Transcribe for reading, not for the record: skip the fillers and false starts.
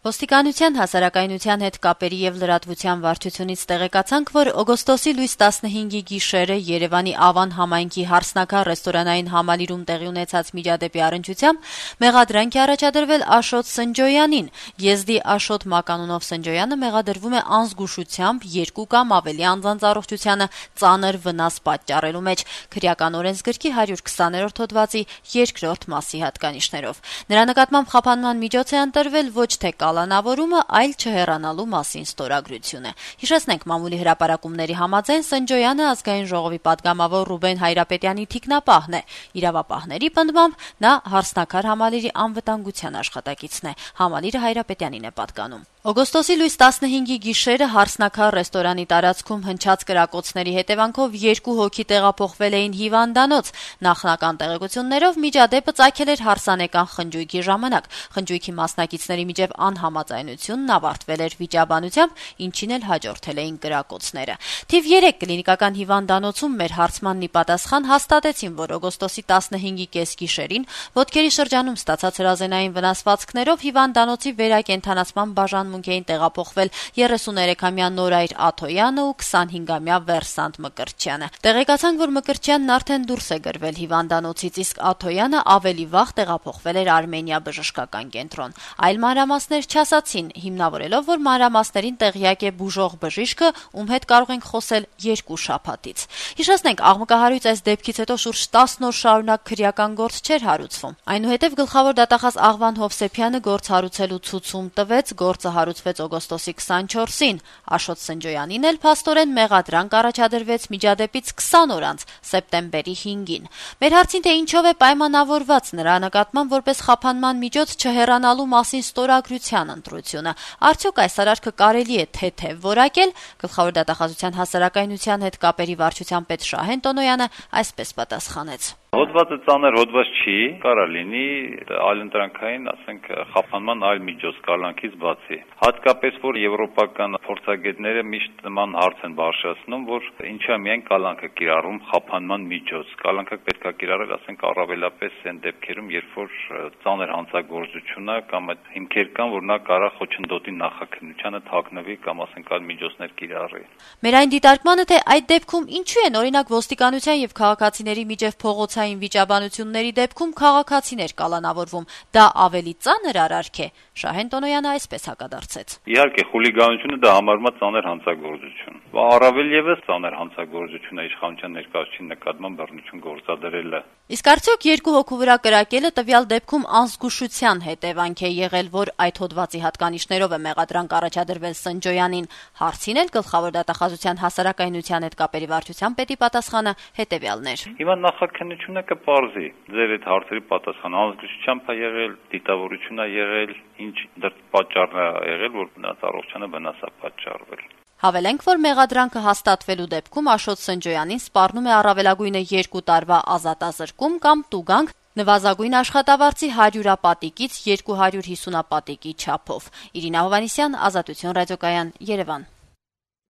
Ոստիկանության հասարակայնության հետ կապերի եւ լրատվության վարչությունից տեղեկացանք, որ օգոստոսի լույս 15-ի գիշերը Երևանի Ավան համայնքի Հարսնաքար ռեստորանային համալիրում տեղի ունեցած միջադեպի առնչությամբ մեղադրանք է առաջադրվել Աշոտ Սնջոյանին։ Եզդի Աշոտ Մականունով Սնջոյանը մեղադրվում է անզգուշությամբ 2 կամ ավելի անձանց առողջությանը ծանր վնաս պատճառելու մեջ քրեական օրենսգրքի 120-րդ հոդվածի 2-րդ մասի հատկանիշներով։ Նրա նկատմամբ խափանման միջոց է ընտրվել ոչ թե կալանավորումը, այլ չհեռանալու մասին ստորագրությունը։ Հիշեցնենք, մամուլի հրապարակումների համաձայն Սնջոյանը ազգային ժողովի պատգամավոր Ռուբեն Հայրապետյանի թիկնապահն է։ Իրավապահների պնդմամբ նա Հարսնաքար համալիրի անվտանգության աշխատակիցն է։ Համալիրը Հայրապետյանին է պատկանում։ Օգոստոսի լույս 15-ի գիշերը Հարսնաքար ռեստորանի տարածքում հնչած կրակոցների հետևանքով 2 հոգի տեղափոխվել էին հիվանդանոց։ Նախնական տեղեկություններով միջադեպը ծագել էր հարսանեկան խնջույքի ժամանակ։ Խնջույքի մասնակիցների միջև անհամաձայնությունն ավարտվել էր վիճաբանությամբ, ինչին էլ հաջորդել էին կրակոցները։ Թիվ 3 կլինիկական հիվանդանոցում մեր հարցմանն ի պատասխան հաստատեցին, որ օգոստոսի 15-ի կեսգիշերին ոտքերի շրջանում ստացած հրազենային վնասվածքներով հիվանդանոցի վերակենդանացման բաժանմունք էին տեղափոխվել 33-ամյա Նորայր Աթոյանը ու 25-ամյա Վերսանտ Մկրտչյանը։ Տեղեկացանք, որ Մկրտչյանն արդեն դուրս է գրվել հիվանդանոցից, իսկ Աթոյանը ավելի վաղ տեղափոխվել էր Արմենիա բժշկական կենտրոն։ Այլ մանրամասներ չասացին, հիմնավորելով, որ մանրամասներին տեղյակ է բուժող բժիշկը, ում հետ կարող ենք խոսել 2 շաբաթից։ Հիշեցնենք, աղմկահարույց այս դեպքից հետո շուրջ 10 օր շարունակ քրեական գործ չէր հարուցվում։ Այնուհետև գլխավոր դատախազ Աղվան Հովսեփյանը գործ հարուցելու ցուցում տվեց, գործը հարուցվեց օգոստոսի 24-ին։ Աշոտ Սնջոյանին էլ փաստորեն մեղադրանք առաջադրվեց միջադեպից 20 օր անց, սեպտեմբերի 5-ին։ Մեր հարցին, թե ինչով է պայմանավորված նրա նկատմամբ որպես խափանման միջոց չհեռանալու մասին ստորագրության ընտրությունը, արդյոք այս արարքը կարելի է թեթև որակել, գլխավոր դատախազության հասարակայնության հետ կապերի վարչության պետ Շահեն Տոնոյանը այսպես պատասխանեց. Հոդվածը ծանր հոդված չի, կարա լինի այլընտրանքային, ասենք, խափանման այլ միջոց կալանքից բացի։ Հատկապես, որ եվրոպական փորձագետները միշտ նման հարց են բարձրացնում, որ ինչա միայն կալանքը կիրառում խափանման միջոց։ Կալանքը պետք է կիրառել, ասենք, առավելապես այն դեպքերում, երբ որ ծանր հանցագործություն է կամ այդ հիմքեր կան, որ նա կարա խոչընդոտի նախաքննությանը թաքնվի կամ, ասենք, այլ միջոցներ կիրառի։ Մեր այն դիտարկմանը, թե այդ դեպքում ինչու են օրինակ ոստիկանության եւ քաղաքացիների միջև փողոցային վիճաբանությունների դեպքում քաղաքացիներ կալանավորվում, դա ավելի ծանր արարք է։ Շահեն Տոնոյանը այսպես հակադարձեց. Իհարկե, խուլիգանությունը դա համարվում է ծանր հանցագործություն։ Առավել եւս ծանր հանցագործություն է իշխանության ներկայացուցիչի նկատմամբ բռնություն գործադրելը։ Իսկ արդյոք 2 հոգու վրա կրակելը տվյալ դեպքում անզգուշության հետևանք է եղել, որ այդ հոդվածի հատկանիշներով է մեղադրանք առաջադրվել Սնջոյանին։ Հարցին էլ գլխավոր դատախազության հասարակայնության հետ կապերի վարչության պետի պատասխանը հետևյալն էր. Հիմա նախաքննությունը կպարզի ձեր այդ հարցերի պատասխանը, անզգուշությամբ է եղել, դիտավորություն է եղել, ինչ դեռ պատճառն է եղել, որ նրանց առողջանը վնաս է պատճառվել։ Հավելենք, որ մեղադրանքը հաստատվելու դեպքում Աշոտ Սնջոյանին սպառնում է առավելագույնը 2 տարվա ազատազրկում կամ տուգանք նվազագույն աշխատավարձի 100-ապատիկից 250 ապատիկի չափով։ Իրինա Հովհաննիսյան, Ազատություն ռադիոկայան, Երևան։